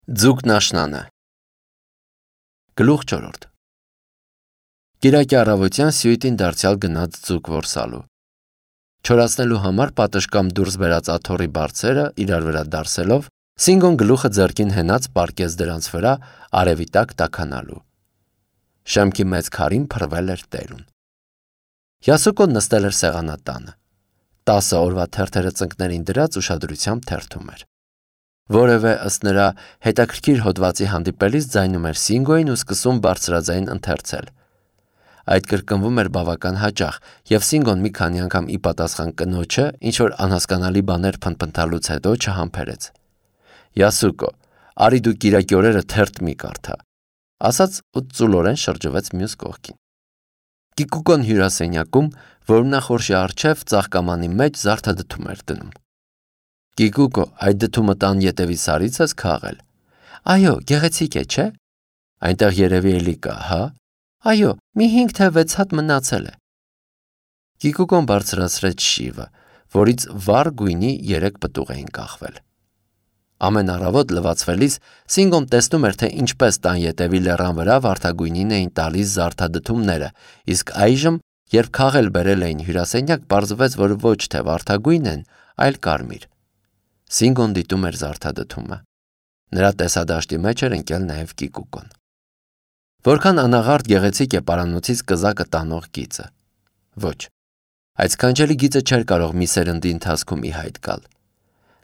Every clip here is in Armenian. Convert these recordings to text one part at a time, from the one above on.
Ձուկն աշնանը Գլուխ 4 Կիրակի առավոտյան Սյուիտին դարձյալ գնաց ձուկ որսալու։ Չորացնելու համար պատշգամբ դուրս բերած աթոռի բարձերը իրար վրա դարսելով, Սինգոն գլուխը ձեռքին հենած պառկեց դրանց վրա արևի տակ տաքանալու։ Շեմքի մեծ քարին փռվել էր տերուն։ Յասուկոն նստել էր սեղանատանը։ 10 օրվա թերթերը ծնկներին դրած ուշադրությամբ թերթում էր։ Որևէ ըստ նրա հետաքրքիր հոդվածի հանդիպելիս ձայնում էր Սինգոյին ու սկսում բարձրաձայն ընթերցել։ Այդ կրկնվում էր բավական հաճախ, եւ Սինգոն մի քանի անգամ ի պատասխան կնոջը ինչ-որ անհասկանալի բաներ փնփնթալուց հետո չհամբերեց։ Յասուկո, արի դու կիրակի օրերը թերթ մի կարդա, ասաց ու ծուլորեն շրջվեց մյուս կողքին։ Կիկուկոն հյուրասենյակում, որում նա խորշի առջև ծաղկամանի մեջ զարդադդում էր դնում։ Կիկուկո, այդ դդումը տան ետևի սարից ես քաղել։ Այո, գեղեցիկ է, չէ՞։ Այնտեղ երևի էլի կա, հա։ Այո, մի 5 թե 6 հատ մնացել է։ Կիկուկոն բարձրացրեց շիվը, որից վառ գույնի 3 պտուղ էին կախվել։ Ամեն առավոտ լվացվելիս Սինգոն տեսնում էր, թե ինչպես տան ետևի լեռան վրա վարդագույնին էին տալիս զարդադդումները, իսկ այժմ, երբ քաղել բերել էին հյուրասենյակ, պարզվեց, որ ոչ թե վարդագույն են, այլ կարմիր։ Սինգոն դիտում էր զարդադդումը։ Նրա տեսադաշտի մեջ էր ընկել նաև Կիկուկոն։ Որքան անաղարտ գեղեցիկ է պարանոցից կզակը տանող գիծը։ Ոչ, այդ սքանչելի գիծը չէր կարող մի սերնդի ընթացքում ի հայտ գալ։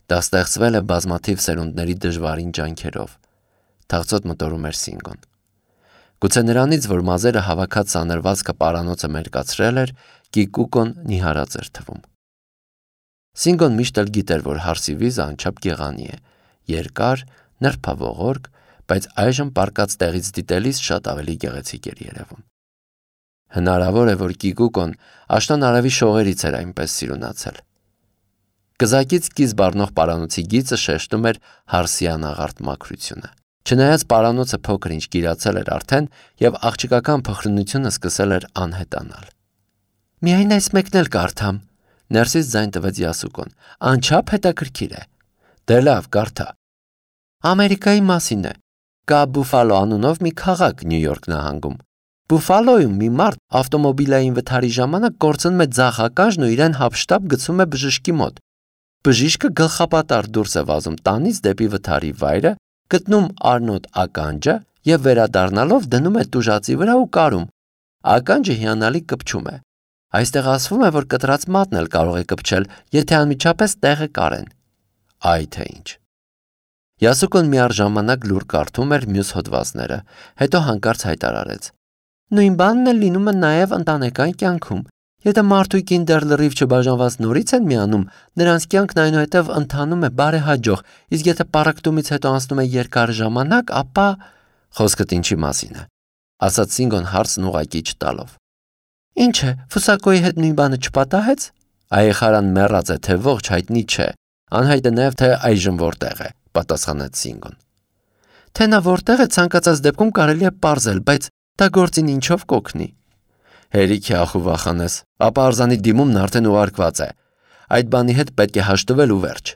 Դա ստեղծվել է բազմաթիվ սերունդների դժվարին ջանքերով։ Թախծոտ մտորում էր Սինգոն։ Գուցե նրանից, որ մազերը հավաքած սանրվածքը պարանոցը մերկացրել էր, Կիկուկոն նիհարած էր թվում։ Սինգոն միշտ էլ գիտեր, որ հարսի վիզը անչափ գեղանի է, երկար, նրբավողորկ, բայց այժմ պառկած տեղից դիտելիս շատ ավելի գեղեցիկ էր երևում։ Հնարավոր է, որ Կիկուկոն աշնան արևի շողերից էր այնպես սիրունացել։ Կզակից կիզ բառնող պարանոցի գիծը շեշտում էր հարսի անաղարտ մաքրությունը։ Չնայած պարանոցը փոքր-ինչ կիրացել էր արդեն եւ աղջիկական փխրունությունը սկսել էր անհետանալ։ Միայն այս մեկն էլ կարդամ, ներսից ձայն տվեց Յասուկոն։ Անչափ հետաքրքիր է։ Դե լավ, կարդա։ Ամերիկայի մասին է։ Կա Բուֆալո անունով մի քաղաք Նյու Յորք նահանգում։ Բուֆալոյում մի մարդ ավտոմոբիլային վթարի ժամանակ կորցնում է ձախ ականջն ու իրեն հափշտապ գցում է բժշկի մոտ։ Բժիշկը գլխապատար դուրս է վազում տանից դեպի վթարի վայրը, գտնում առնոտ ականջը եւ վերադառնալով դնում է տուժածի վրա ու կարում։ Ականջը հիանալի կպչում է։ Այստեղ ասվում է, որ կտրած մատն էլ կարող է կպչել, եթե անմիջապես տեղը կարեն։ Այ թե ինչ։ Յասուկոն միառժամանակ լուր կարդում էր մյուս հոդվածները, հետո հանկարծ հայտարարեց. Նույն բանն էլ լինում է նաև ընտանեկան կյանքում։ Եթե մարդուկին դեռ լրիվ չբաժանված նորից են միանում, նրանց կյանքն այնուհետև ընթանում է բարեհաջող, իսկ եթե պառակտումից հետո անցնում է երկար ժամանակ, ապա խոսքդ ինչի մասին է, ասաց Սինգոն հարցն ուղղակի չտալով։ Ինչ է, Ֆուսակոյի հետ նույն բանը չպատահեց։ Այեխարան մեռած է, թե ողջ հայտնի չէ։ Անհայտ է նաև թե այժմ որտեղ է, պատասխանեց Սինգոն։ Թե նա որտեղ է, ցանկացած դեպքում կարելի է պարզել, բայց դա գործին ինչով կօգնի։ Հերիք է ախու վախանես, ապա արձանի դիմումն արդեն ուղարկված է։ Այդ բանի հետ պետք է հաշտվել ու վերջ։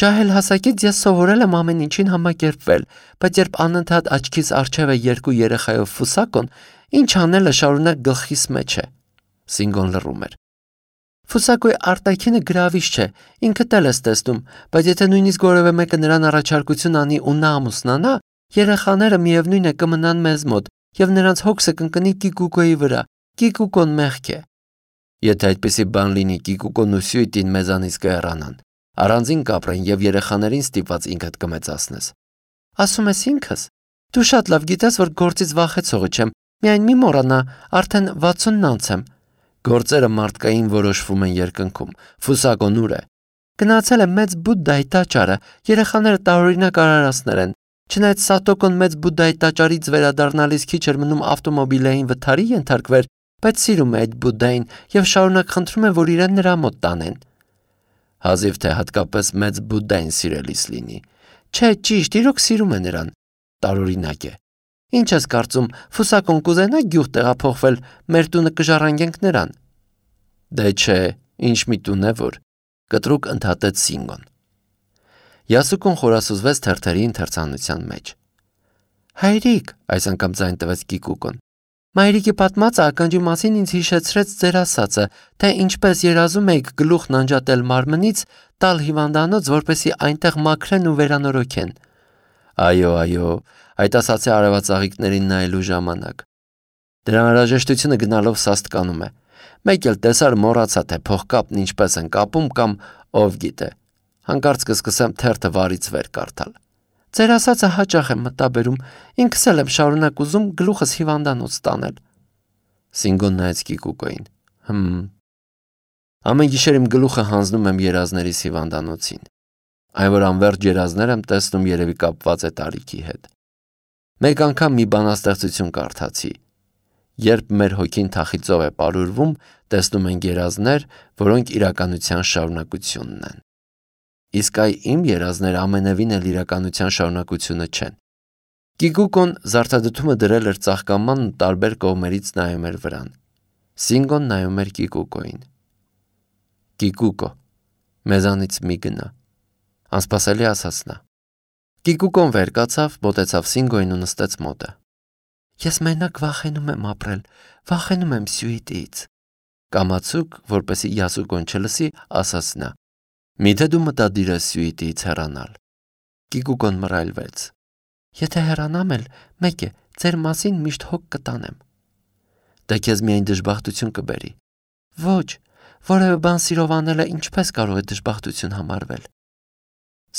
Ջահել հասակից ես սովորել եմ ամեն ինչին համակերպվել, բայց երբ անընդհատ աչքիս առջև է 2 երեխայով Ֆուսակոն, ինչ անելը շարունակ գլխիս մեջ է։ Սինգոն լռում էր։ Ֆուսակոյի արտաքինը գրավիչ չէ, ինքդ էլ ես տեսնում, բայց եթե նույնիսկ որևէ մեկը նրան առաջարկություն անի ու նա ամուսնանա, երեխաները միևնույն է կմնան մեզ մոտ, եւ նրանց հոգսը կընկնի Կիկուկոյի վրա։ Կիկուկոն մեղք է։ Եթե այդպիսի բան լինի, Կիկուկոն ու Սյուիտին մեզանից կհեռանան, առանձին կապրեն եւ երեխաներին ստիպված ինքդ կմեծացնես։ Ասում ես ինքս։ Դու շատ լավ գիտես, որ գործից վախեցողը չեմ, միայն մի մոռանա, արդեն 60-ն անց եմ։ Գործերը մարդկային որոշվում են երկնքում։ Ֆուսակոն ուր է։ Գնացել է մեծ Բուդդայի տաճարը, երեխաները տարօրինակ արարածներ են։ Չնայած Սատոկոն մեծ Բուդդայի տաճարից վերադառնալիս քիչ էր մնում ավտոմոբիլային վթարի ենթարկվեր, բայց սիրում է այդ Բուդդային եւ շարունակ խնդրում է, որ իրեն նրա մոտ տանեն։ Հազիվ թե հատկապես մեծ Բուդդային սիրելիս լինի։ Չէ, ճիշտ, իրոք սիրում է նրան։ Տարօրինակ է։ Ինչ ես կարծում, Ֆուսակոն կուզենա գյուղ տեղափոխվել, մեր տունը կժառանգենք նրան։ Դե չէ, ինչ մի տուն է որ, կտրուկ ընդհատեց Սինգոն։ Յասուկուն խորասուզվեց թերթերի ընթերցանության մեջ։ Հայրիկ, այս անգամ ձայն տվեց Կիկուկոն։ Մայրիկի պատմածը ականջի մասին ինձ հիշեցրեց ձեր ասածը, թե ինչպես երազում եք գլուխն անջատել մարմնից, տալ հիվանդանոց, որպեսզի այնտեղ մաքրեն ու վերանորոգեն։ Այո, այդ ասացի արևածաղիկներին նայելու ժամանակ։ Դրա անհրաժեշտությունը գնալով սաստկանում է։ Մեկ էլ տեսար մոռացա, թե փողկապն ինչպես են կապում կամ ով գիտե։ Հանկարծ կսկսեմ թերթը վարից վեր կարդալ։ Ձեր ասածը հաճախ եմ մտաբերում, ինքս էլ եմ շարունակ ուզում գլուխս հիվանդանոց տանել։ Սինգոն նայեց Կիկուկոին։ Ամեն գիշեր իմ գլուխը հանձնում եմ երազներիս հիվանդանոցին։ Այն որ անվերջ երազներ եմ տեսնում երևի կապված է տարիքի հետ։ Մեկ անգամ մի բանաստեղծություն կարդացի։ Երբ մեր հոգին թախիծով է պարուրվում, տեսնում ենք երազներ, որոնք իրականության շարունակությունն են։ Իսկ այ իմ երազները ամենևին էլ իրականության շարունակությունը չեն։ Կիկուկոն զարդադդումը դրել էր ծաղկամանն ու տարբեր կողմերից նայում էր վրան։ Սինգոն նայում էր Կիկուկոին։ Կիկուկո, մեզանից մի գնա, անսպասելի ասաց նա։ Կիկուկոն վեր կացավ, մոտեցավ Սինգոին ու նստեց մոտը։ Ես մենակ վախենում եմ ապրել, վախենում եմ սյուիտից։ Կամացուկ, որպեսզի Յասուկոն չլսի, ասաց նա։ Միթե դու մտադիր ես սյուիտից հեռանալ։ Կիկուկոն մռայլվեց։ Եթե հեռանամ էլ, մեկ է, ձեր մասին միշտ հոգ կտանեմ։ Դա քեզ միայն դժբախտություն կբերի։ Ոչ, որևէ բան սիրով անելը ինչպես կարող է դժբախտություն համարվել։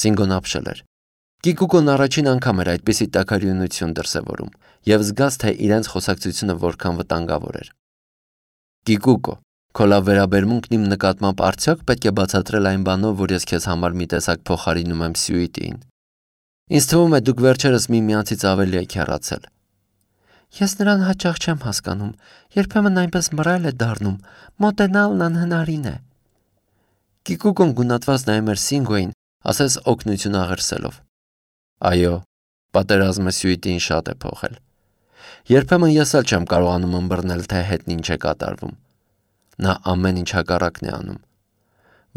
Սինգոն ապշել էր։ Կիկուկոն առաջին անգամ էր այդպիսի տաքարյունություն դրսևորում եւ զգաց, թե իրենց խոսակցությունը որքան վտանգավոր էր։ Կիկուկո, քո լավ վերաբերմունքն իմ նկատմամբ արդյոք պետք է բացատրել այն բանով, որ ես քեզ համար մի տեսակ փոխարինում եմ սյուիտին։ Ինձ թվում է դուք վերջերս միմյանցից ավելի եք հեռացել։ Ես նրան հաճախ չեմ հասկանում, երբեմն այնպես մռայլ է դառնում, մոտենալն անհնարին է։ Կիկուկոն գունատված նայում էր Սինգոին, ասես օգնություն աղերսելով։ Այո, պատերազմը սյուիտին շատ է փոխել։ Երբեմն ես էլ չեմ կարողանում ըմբռնել, թե հետն ինչ է կատարվում։ Նա ամեն ինչ հակառակն է անում։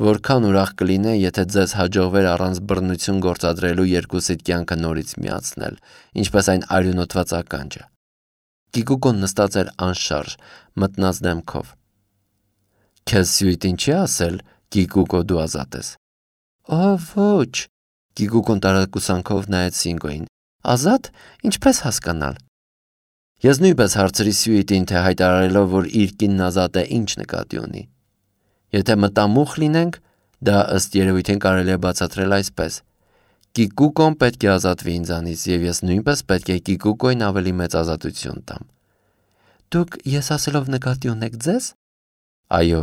Որքան ուրախ կլինե, եթե ձեզ հաջողվեր առանց բռնություն գործադրելու երկուսիդ կյանքը նորից միացնել, ինչպես այն արյունոտված ականջը։ Կիկուկոն նստած էր անշարժ, մտնած դեմքով։ Քեզ սյուիտին չի ասել, Կիկուկո, դու ազատ ես։ Ոչ, Կիկուկոն տարակուսանքով նայեց Սինգոին։ Ազատ, ինչպես հասկանալ։ Ես նույնպես հարցրի սյուիտին, թե հայտարարելով, որ իր կինն ազատ է, ինչ նկատի ունի։ Եթե մտամուխ լինենք, դա ըստ երևույթին կարելի է բացատրել այսպես. Կիկուկոն պետք է ազատվի ինձանից, եւ ես նույնպես պետք է Կիկուկոին ավելի մեծ ազատություն տամ։ Դուք ես ասելով նկատի ունեք ձեզ։ Այո։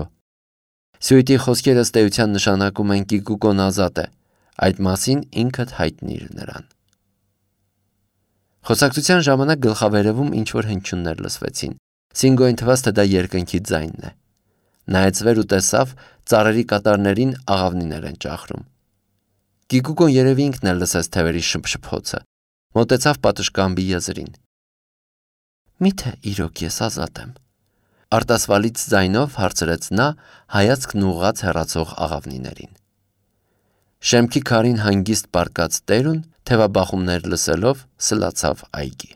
Սյուիտի խոսքերը ըստ էության նշանակում են Կիկուկոն ազատ է։ Այդ մասին ինքդ հայտնիր նրան։ Խոսակցության ժամանակ գլխավերևում ինչ-որ հնչյուններ լսվեցին։ Սինգոին թվաց, թե դա երկնքի ձայնն է։ Նայեց վեր ու տեսավ, ծառերի կատարներին աղավնիներ են ճախրում։ Կիկուկոն երևի ինքն էլ լսեց թևերի շփշփոցը։ Մոտեցավ պատշգամբի եզրին։ Միթե իրոք ես ազատ եմ։ Արտասվալից ձայնով հարցրեց նա, հայացքն ուղղած հեռացող աղավնիներին։ Շեմքի քարին հանգիստ պառկած տերուն, թևաբախումներ լսելով, սլացավ այգի։